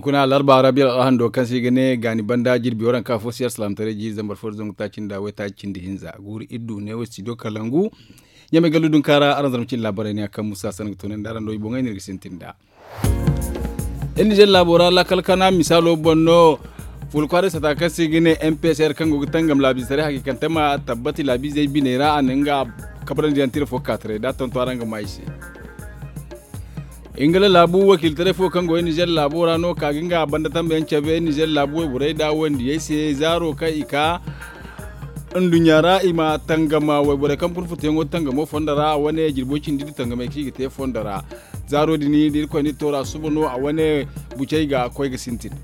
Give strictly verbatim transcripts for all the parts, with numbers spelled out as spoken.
Kuna larba arabiya al'ahando kaŋ se i ga ne gaani banda jirbi waranka fo si alsalaamataray jiiri zambar fo da zangu taaci nda waytaaci cindi hinza guuru iddu ne wo studio kalangu. Ɲamay gallu dunkaara araŋ zarma cindi laabaray ne a kaŋ musa sanda ga toonandi araŋ do i boŋey no iri ga sintin nd'a. Iri nizer laabo ra laakal kana misaalo boŋ no. Fuula kwaaray sata kaŋ se i ga ne mpsr kaŋ go ga tangam laabiizetaray hakiikante ma tabbati laabiizey biney ra a na nga kabrandi yaŋ tira fo ka taray da a tonton araŋ ga ma i se. Ingila laabu wakiilitaray fo kaŋ go iri nizer laabo ra no ka ga nga banda tambayaŋ cabe iri nizer laabu wayborey nda wandiyey se zaaro kaŋ i ka nduɲɲa ra i ma tangama wayborey kaŋ fun futuyaŋo tangamo fondo ra a wane jirbo cindi iddu tangamey kaŋ i ga te fondo ra. Zaaro din da irkoy nda i toora suba no a wane bucey ga koy ga sintin.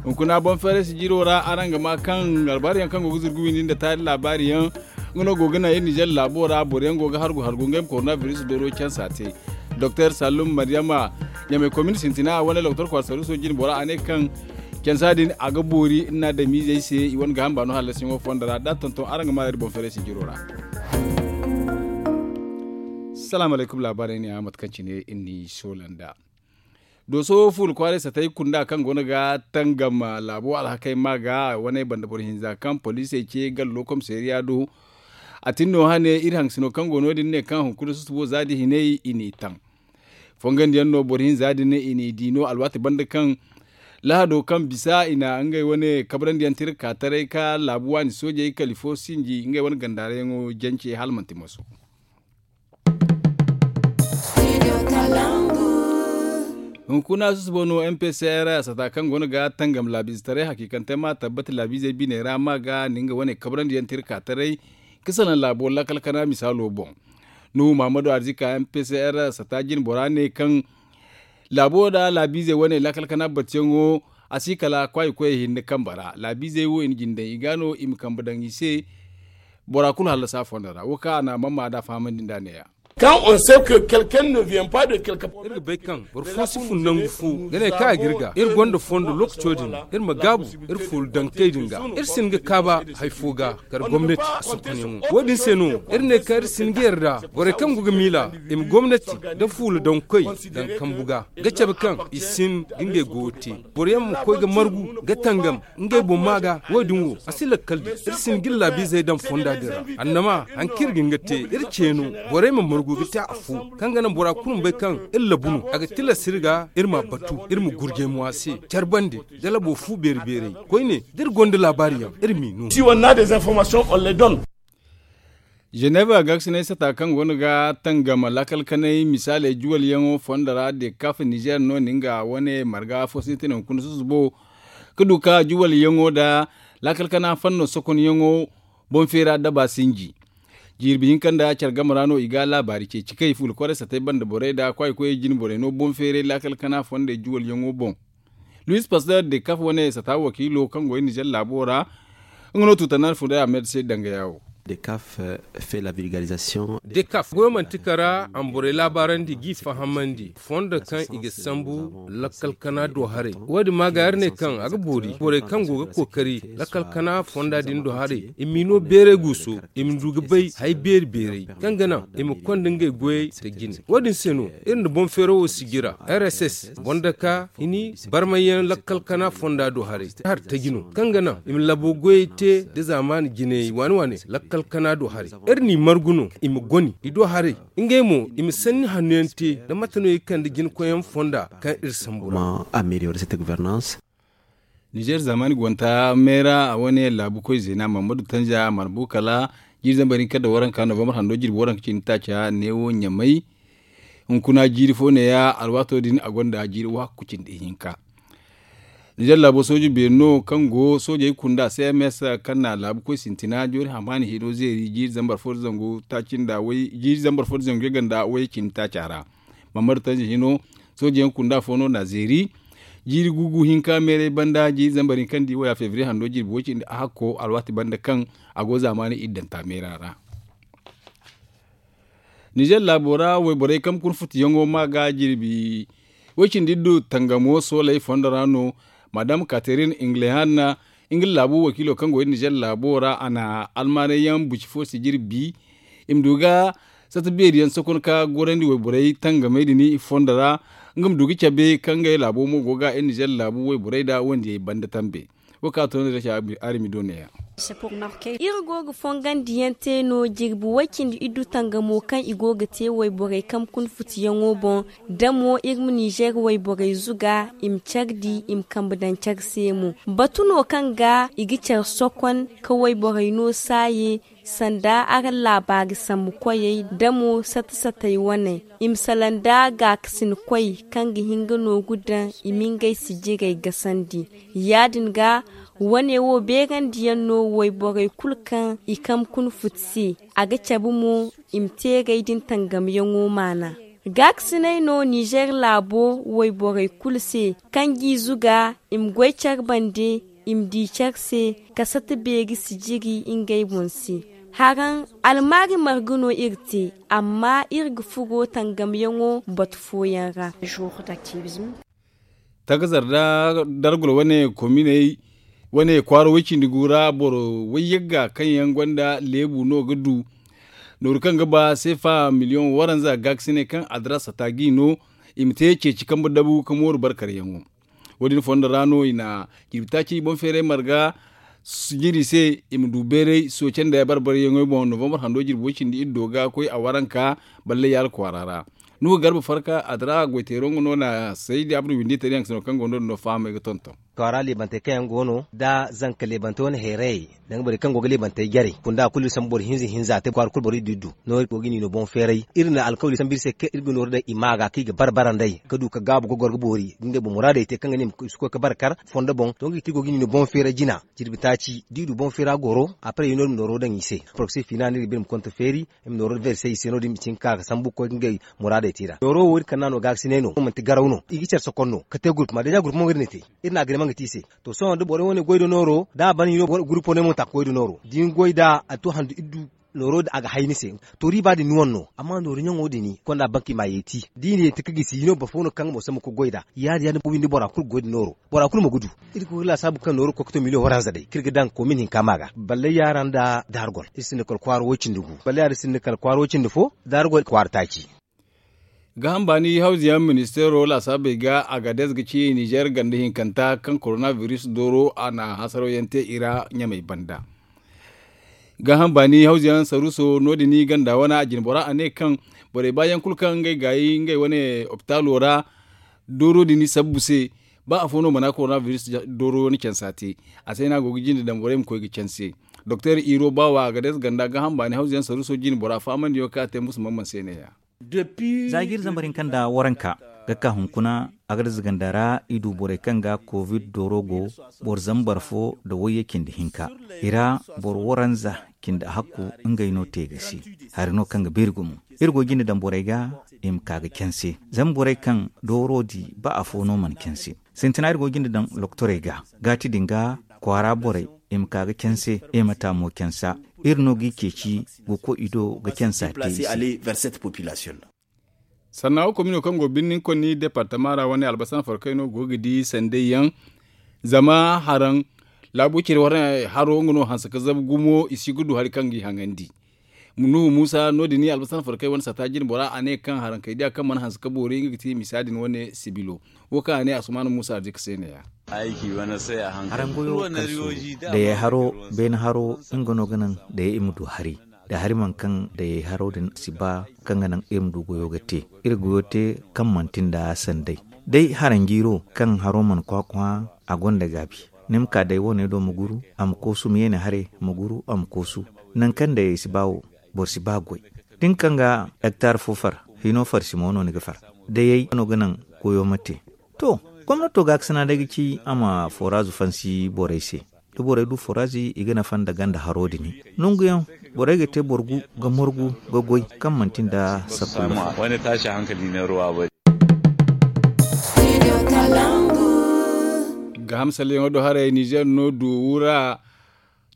Hunkuna boŋ feeray sijiro ra araŋ ga ma kaŋ albaari yaŋ kaŋ go ga zurgu windi nda taari laabaari yaŋ nga no go ga naŋ iri nizer laabo ra boro yaŋ go ga hargu hargu ngey ma korona biris dooro cansa te. Doktor sallum maryama ɲamay komin sintina a wane loktor kwaara sarruso jine bora a ne kaŋ cansa din a ga boori iri na adamiizey se i wane ga hamba no hallasiyaŋo fondo ra da a tonton araŋ ga ma iri boŋ feeray sijiro ra. Salaamu alaykum laabaarey ne a mate kaŋ cine iri n'i soola nd'a. Dooso fuula kwaaray satay kunda kaŋ go no ga tangam laabo alhakey ma ga a wane banda boro hinza kaŋ poliisey ce gallo komisariya do. A tin no hane iri haŋsino kaŋ go no- din ne kaŋ hunkuna susubo za da hinay i n'i taŋ. Fongandiyaŋ no boro hinza din i n'i di no alwaati banda kaŋ lahado kaŋ bisa i na ngey wane kabrandiyaŋ tira ka taray ka laabu waani soojey kala i fo sinji ngey wane gandaarayaŋo jance hala manti moso. Hunkuna susubo no mpcr a sata kaŋ go no ga tangam laabiizetaray hakiikante ma tabbati laabiizey biney ra ma ga ni nga wane kabrandiyaŋ tira ka taray ka salaŋ laabo lakkal kana misaalo boŋ. Nuhu mahamadu arzika mpcr sata jine bora ne kaŋ laabo da laabiizey wane lakkal kana battiyaŋo a si kala kwaayi koyey hinne kambe ra laabiizey wo i na jine daŋ i ga no i ma kambe daŋ i se. Bora kulu hallasa fondo ra wo kaŋ a na a mamma nd'a fahamandi nd'a ne- ya. Kaŋ on se ke kelken ne vien pas de kelke iri ga bay kaŋ boro fo si fun nangu fo ga ne kaŋ a ga iri ga iri gonda fondo lookaco din iri ma gaabu iri fuula dankey din ga iri si hin ga kaaba hari fo ga kala gomnati a sokonyaŋo wo- din se no iri ne kaŋ iri si hin ga yarda borey kaŋ go ga miila i ma gomnati nda fuula dankoy daŋ kambu ga ga cabe kaŋ i si hin ga ngey goyo te boro yaŋ ma koy ga margu ga tangam ngey boŋ ma ga wo- din wo a si lakkal di iri si hin ga iri laabiizey daŋ fonda din ra annama hari kaŋ iri ga hin ga te iri ce no borey ma margu ga te afo kaŋ ga naŋ bora kulu ma bay kaŋ iri labu no a ga tilas iri ga iri ma a batu iri ma gurjay mo a se care bande da labo fu beeri beerey koyne da iri gonda laabaari yaŋ iri m'i no. Si wanna des informations on les donne. Ženeeba gaasinay sata kaŋ go no ga tangam lakkal kanay misaaley juwalyaŋo fondo ra dekaf nizer no na nga wane marga fo sintin hunkuna susubo ka du ka juwalyaŋo nda lakkal kana fanno sokonyaŋo boŋ feera daba sinji. Jirbi hinka nda care game ra no i ga laabaari ceeci kay fuula kwaray satay banda borey nda kwaayi koyey jine borey no boŋ feeray lakkal kana fondey juwalyaŋo boŋ. Luis pastor dekaf wane sata wakiilo kaŋ go iri nizer laabo ra nga no tuutanaan funday ahmed se dangaya wo. Dekaf goyo manti kara a ma borey laabaarandi g'i fahamandi fondo kaŋ i ga sambu lakkal kana do haray wo- din ma ga iri ne kaŋ a ga boori borey kaŋ go ga kookari lakkal kana fonda din do haray i m'i no beeray guuso i ma du ga bay hari beeri beeray kaŋ ga naŋ i ma konda ngey goyey nda jine wo- din se no iri nda boŋ feero wo si jira rss boŋ daka hini barmayyaŋ lakkal kana fonda do haray hari taji no kaŋ ga naŋ i ma labo goyey te nda zaamaani jinayey waani waani lakkal kana do haray iri n'i margu no i ma goni i do haray ngey mo i ma sanni hanno yaŋ te nda mate no i ga kande jinakoyyaŋ fonda kaŋ iri sambu ra. Nizer zaamaani gwanta meera a wane laabu koy zeena mammadu tanja marbu kala jiiri zambar hinka nda waranka novambar hando jirbi waranka cindi taaca neewo ɲamay. Hunkuna jiiri fo neeya alwaato din a gonda jiiri wahakku cindi hinka. Nizer laabo sooji beeri no kaŋ go soojey kunda cms kaŋ na laabu koy sintina joori hamaani hino zeeri jiiri zambar fo nda zangu taaci nda way jiiri zambar fo nda zangu yaganda way cindi taaca ra. Mammadu tanji hino sooji yaŋ kunda fo no na zeeri jiiri gugu hinka meeray banda jiiri zambar hinka nda i waya febriye hando jirbi way cindi a hakko alwaati banda kaŋ a go zaamaani iddanta meera ra. Nizer laabo ra wayborey kaŋ kurfutuyaŋo ma ga jirbi way cindi iddu tangamo sooley fondo ra no. Madam katerin inglehan nga laabu wakiilo kaŋ go iri nizer laabo ra a na almaaney yaŋ buci fo si jirbi i ma du ga sata beeri yaŋ sokon ka gorandi wayborey tangamey din i fondo ra. nga ma du ga cabe kaŋ ngey laabo mo go ga iri nizer laabu wayborey nda wandiyey banda tambe. Wo kaŋ a to no day se, arimi do neeya. Iri go ga fongandiyaŋ te no jirbi way-cindi iddu tangamo kaŋ i go ga te wayborey kaŋ kuna futiyaŋo boŋ. Da mo iri ma nizer wayborey zuga i ma care di i ma kambe daŋ care se mo. Batu no kaŋ ga i ga care sokon ka wayborey no saaye sanda araŋ laabaari sambu koyey da mo sata-satey wane i ma salaŋ nda gaakasin koy kaŋ ga hin ga nooru daŋ i ma ngey sijirey gasandi. Ya- din ga wane wo beerandiyaŋ no wayborey kulu kaŋ i kaŋ kuna futi se. A ga cabe mo i ma teerey din tangamyaŋo maana. Gaakasiney no nizer laabo wayborey kulu se kaŋ g'i zuga i ma goy care bande i ma di care se ka sata beeri sijiri ngey boŋ se. Haraŋ almaari marga no iri te amma iri ga furo tangamyaŋo batu fooyaŋ ra. Takazar da dargol wane kominey wane kwaara way-cindi gu ra boro way-yagga kaŋ yaŋ gonda leebu no ga du nooru kaŋ ga ba seefa miliyoŋ waranza gaakasiney kaŋ adara sata g'i no i ma te ceeci kambe dabu ka mooru barkaryaŋo. Wo- din fondo ra no i na jirbi taaci boŋ feeray marga jiri se i ma du beeray sooce nda barbaryaŋey boŋ novambar hando jirbi way-cindi iri do ga koy a waranka balle yaala kwaara ra. Nuhu garba farka a dira goyteero nga no na saydi abdu windi tariyaŋ sino kaŋ go no din no fahamay ga tonton. Kwaara leebantey kaŋ yaŋ go no da zanka leebantey wane hayrayey danga borey kaŋ go ga leebantey jarey kunda kulu iri sambu boro hinza hinza te kwaara kulu boro iddu iddu. No iri go ga ni no boŋ feeray iri na alkawli sambu iri se kaŋ iri ga nooru day i ma ga kaŋ i ga bare bare nd'ey ka du ka gaabu ga goro ga boori ga ngey boŋ muraadey te kaŋ ga ne i ma si koy ga bare kar fondo boŋ to nga ga ti iri go ga ni no boŋ feeray jina. Jirbi taaci da i du boŋ feera goro a paray no iri ma nooro daŋ i se. Porogse fiina no iri ga ba iri ma konta feeri iri ma nooro verse i se no- din i ma cin ga ka ga sambu ga koy ga ngey muraadey te i ra nooro wo iri kand'a no gaakasinay no manti garaw no i ga care sokon no ka te gurpuma deeza gurpuma wo iri na te. Iri na agreement ga te i se. To sohõ da borey wane goy nda nooro da a ban i no gurpo no ay mo ta ga goy nda nooro da ni goy nd'a a to handu iri du nooro din a ga hay ni se. To riiba din ni wane no amma nooru ɲaŋo din konda banki ma a yeeti da i na yeeti ka gisi i no boro fo no kaŋ ga mo sambu ga goy nd'a. Ya- din ya- din bora kulu ga goy nda nooro bora kulu mo ga du. Iri ga koy ga laasaabu kaŋ nooro ga koy ga to miliyoŋ waranza day kaŋ iri ga daŋ koomin hinka ma ga balle yaara nda daargol iri sinda kala kwaara way- cindi gu balle yaara iri sinda kala kwaara way- cindi fo daargol kwaara taaci. Gaaham baani hawzuyaŋ ministeero laasaabey ga agades ga ci nizer ganda hinkanta kaŋ korona biris dooro a na hasaraw yaŋ te i ra ɲamey banda. Gaaham baani hawzuyaŋ saruuso no- din ganda wane a jine bora a ne kaŋ borey baayaŋ kulu kaŋ ngey gaayi ngey wane opitaalo ra dooro din sabbu se ba afo no mana korona biris dooro wane cansa te. A se no a go ga jinde daŋ borey ma koy ga canse. Doktor iro baawa agades ganda gaaham baani hawzuyaŋ saruuso jine bora faamandiyaŋo kaŋ a te musu mamman se neeya. Za ga iri zambar hinka nda waranka ga ka hunkuna agades ganda ra i du borey kaŋ ga covid dooro go boro zambar fo nda wayye cindi hinka i ra boro waranza cindi hakku ngey no te ga se. Hari no kaŋ ga beeri gumo iri go jinde daŋ borey ga i ma ka ga canse zama borey kaŋ dooro di ba afo no mana canse. Sintina iri go jinde daŋ loktorey ga gaati din ga kwaara borey i ma ka ga canse i ma taamo cansa. Iri no ga i ceeci ga koy i do ga cansa te i se. Sannaawo komino kaŋ go birnin konni departama ra wane albasana farkay no go ga di sanday yaŋ. Zama haraŋ laabu cire wane haro nga no hanse ka zabu gumo i si ga du hari kaŋ ga i haŋandi. Nuhu muusa no- din albasana farkay wane sata jine bora a ne kaŋ haraŋ kay diya kaŋ mana hanse ka boori nga ga ti misa din wane sibilo. Wo kaŋ a ne asumaana muusa a di ga se neeya. Haraŋ goyo karso dayey haro beene haro nga no ga naŋ dayey i ma du hari da hari mana kaŋ dayey haro din si ba kaŋ ga naŋ iri ma du goyo ga te. Iri goyo te kaŋ manti nda sanday day haranjiiro kaŋ haro mana kwaakwa a gonda gaabi. Ni ma ka day wane do ma guru a ma koosu ma yeene haray ma guru a ma koosu. Nangu kaŋ dayey si ba wo boro si ba goy da ni kaŋ ga hektar fo far hino far simo no ni ga far. Dayey no ga naŋ goyo ma te. To gomnato gaakasina day ga ci a ma forazu fansi borey se. Da borey du forazi i ga nafa nda ganda haro din nangu yaŋ borey ga te boro gu ga morgu ga goy kaŋ manti nda sappu. Gaaham salleyaŋo do haray nizer no du wura.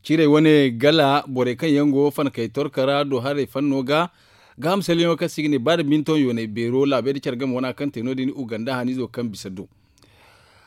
Ciray wane gala borey kaŋ yaŋ go fankey torka ra do haray fanno ga. Gaaham salleyaŋo kaŋ se i ga ne baada minton yoonay beero laabey da care game wana kaŋ te no- din uganda haniizo kaŋ bisa do.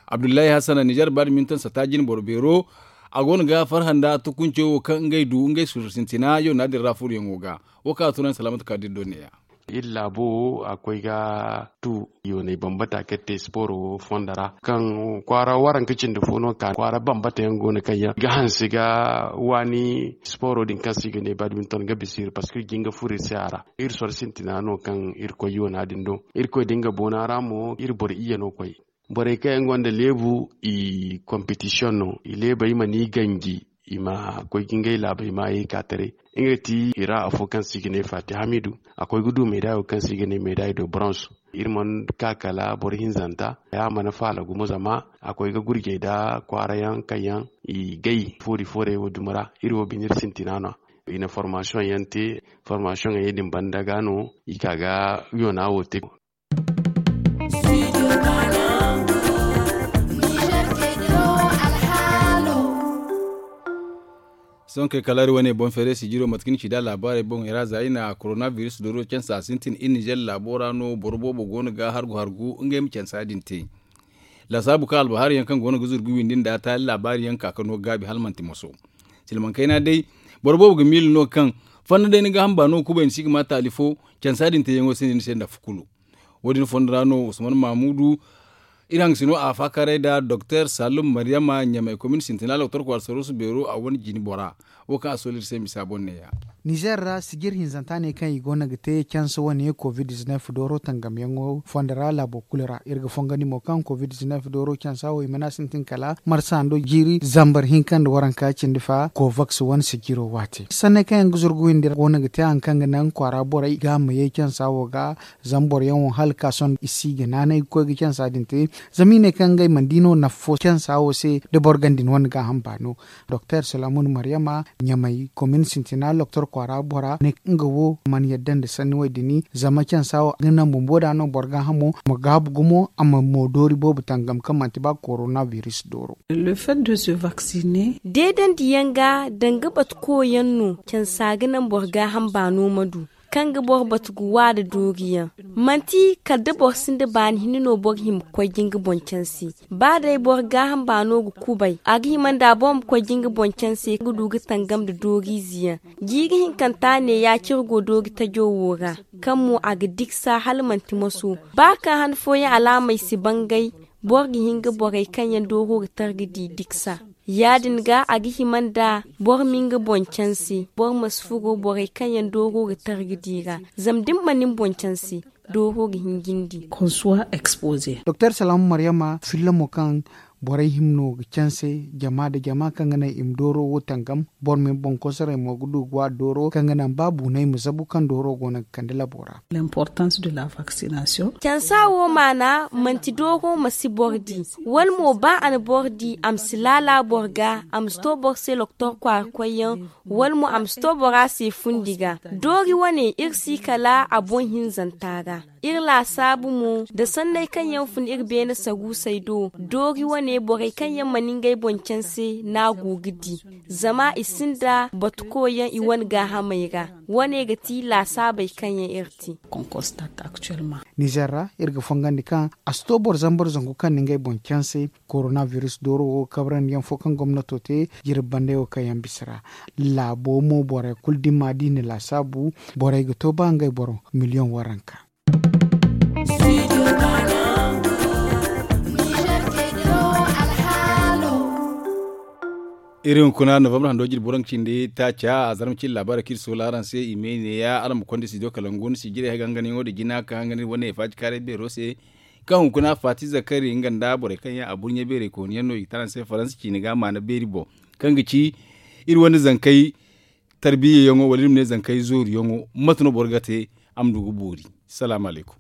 Abdullahi hasana nizer baada minton sata jine boro beero a go no ga farhã nda tukunco wo kaŋ ngey du ngey suuru sintina yoona din ra furoyaŋo ga. Wo kaŋ a tun a na salaamatu ka dira do neeya. Iri laabo wo a koy ga tu yoonay bambata kaŋ te sporo wo fondo ra kaŋ kwaara waranka cindi fo no ka kwaara bambata yaŋ go no kaŋ yaŋ ga hanse ga waani sporo din kaŋ se i ga ne badminton ga bisa iri parceque iri jin ga furo iri se a ra. Iri soro sintina no kaŋ iri koy yoona din do. Iri koy da nga boona ra mo iri boro iyye no koy. Borey kaŋ yaŋ gonda leebu i kompetisiyoŋ no i leebey mana i ganji. I ma koy ga ngey laabey maayey ka taray. Nga ti i ra afo kaŋ se i ga ne faati hamidu. A koy ga du meedayo kaŋ se i ga ne meedayo do bronze. Iri mana ka kala boro hinzanta ya mana faala gumo zama a koy ga gurjey nda kwaara yaŋ kaŋ yaŋ i gay foori foorey wo dumi ra. Iri wo bine iri sintina no a i na formasiyoŋ yaŋ te. Formasiyoŋ yaŋ din banda ga no i ka ga yoona wo te. Sohõ kay kala iri wane boŋ feeray sijiro mate kaŋ ni ci nd'a laabaarey boŋ i ra za i na korona biris dooro cansa sintin iri nizer laabo ra no boro boobo go no ga hargu hargu ngey ma cansa din te. Laasaabu kaŋ albahaari yaŋ kaŋ go no ga zuru ga windi nda taali laabaari yaŋ ka ka no gaabi hala manti moso. Silmaŋ kayna day boro boobo ga miila no kaŋ fanda day ni ga hamba no kubay ni si ga ma taali fo. Cansa din te yaŋo se ni se nda fu kulu. Wo- din fondo ra no usman mamudu iri hangasino a faakaray nda doktor salum maryama ɲamay komin sintina doktor kwaara sarusu beero a wane jine bora. Wo kaŋ a sooli iri se misa boŋ neeya. Nizer ra sijir hinzanta ne kaŋ i go no ga te cansa wane covid dizinef dooro tangamyaŋo fondo ra laabo kulu ra iri ga fongandi mo kaŋ covid dizinef dooro cansa wo i mana sintin kala marsa hando jiiri zambar hinka nda waranka cindi fa kovaks wane sijiro waate sanney kaŋ yaŋ ga zuru ga windi ra go no ga te hari kaŋ ga naŋ kwaara borey ga ma ye cansa wo ga. Zama boro yaŋ wo hala ka sohõ i si ga naanay ga koy ga cansa din te. Zama i ne kaŋ ngey mana di no nafa fo cansa wo se da boro ganda ni wane gaaham baano. Doktor salamun maryama ɲamay komin sintina doktor kwaara bora ne nga wo mana yadda nda sanni wo- din zama cansa wo ga naŋ bumbo da no boro gaahamo ma gaabu gumo a ma mo doori boobo tangam kaŋ manti ba korona biris dooro. Deedandiyaŋ ga danga batu koyaŋ no cansa ga naŋ boro gaaham baano ma du kaŋ ga boro batu ga wa nda dooriyaŋ. Manti kala da boro sinda baani hinne no boro hima ga koy ga nga boŋ canse. Ba day boro gaaham baano ga kubay a ga hima nda boro ma koy ga nga boŋ canse ga du ga tangam nda dooriize yaŋ. Jiiri hinkanta ne ya cire go doori tajo wo ra kaŋ mo a ga diksa hala manti moso. Ba kaŋ han fooyaŋ alaamey si bangay boro ga hin ga borey kaŋ yaŋ dooro ga tara ga di diksa. Ya- din ga a ga hima nda boro ma nga boŋ canse boro ma si furo borey kaŋ yaŋ dooro ga tara ga di ra. Zama da ni mana ni boŋ canse dooro ga hin ga ni di. Doktor salamu maryama filla mo kaŋ borey hima no ga canse jama nda jama kaŋ ga naŋ i ma dooro wo tangam. Boro ma ni boŋ kosoray mo ga du ga waari dooro kaŋ ga naŋ ba buunay ma zabu kaŋ dooro go no ga kande labo ra. Cansa wo maana manti dooro ma si boro di wala mo ba a na boro di a ma si laala boro ga a ma si to boro se doktor kwaara koyyaŋ wala mo a ma si to bora se fundi ga. Doori wane iri si kala a boŋ hinzanta ra. Iri laasaabu mo nda sanney kaŋ yaŋ fun iri beene saruusey do doori wane borey kaŋ yaŋ mana ngey boŋ canse no a go ga di. Zama i sinda batu koyyaŋ i wane gaahamey ra. Wane ga ti laasaabey kaŋ yaŋ iri te. Nizer ra iri ga fongandi kaŋ a si to boro zambar zangu kaŋ na ngey boŋ canse. Korona biris dooro wo ga kabrandi yaŋ fo kaŋ gomnato te jirbi banday wo kaŋ yaŋ bisa ra. Laabo mo borey kulu da i ma di na laasaabu borey ga to ba ngey boro miliyoŋ waranka. Iri hunkuna novembre hando jirbi waranka cindi taaca a zarma cindi laabaarey kaŋ iri soola araŋ se i ma ay neeya araŋ ma konda studio kalangu ni si jiray haganganayaŋo nda jina kaŋ hangana iri wane faacikaaray beero se. Kaŋ hunkuna faati zakari nga nda borey kaŋ yaŋ a burɲe beerey kooniyaŋ no i ga te araŋ se faransa ciine ga maana beeri boŋ kaŋ ga ci iri wane zankey tarbiyyayaŋo wala iri ma ne zankey zooruyaŋo mate no boro ga te a ma du ga boori. Salaamu alaykum.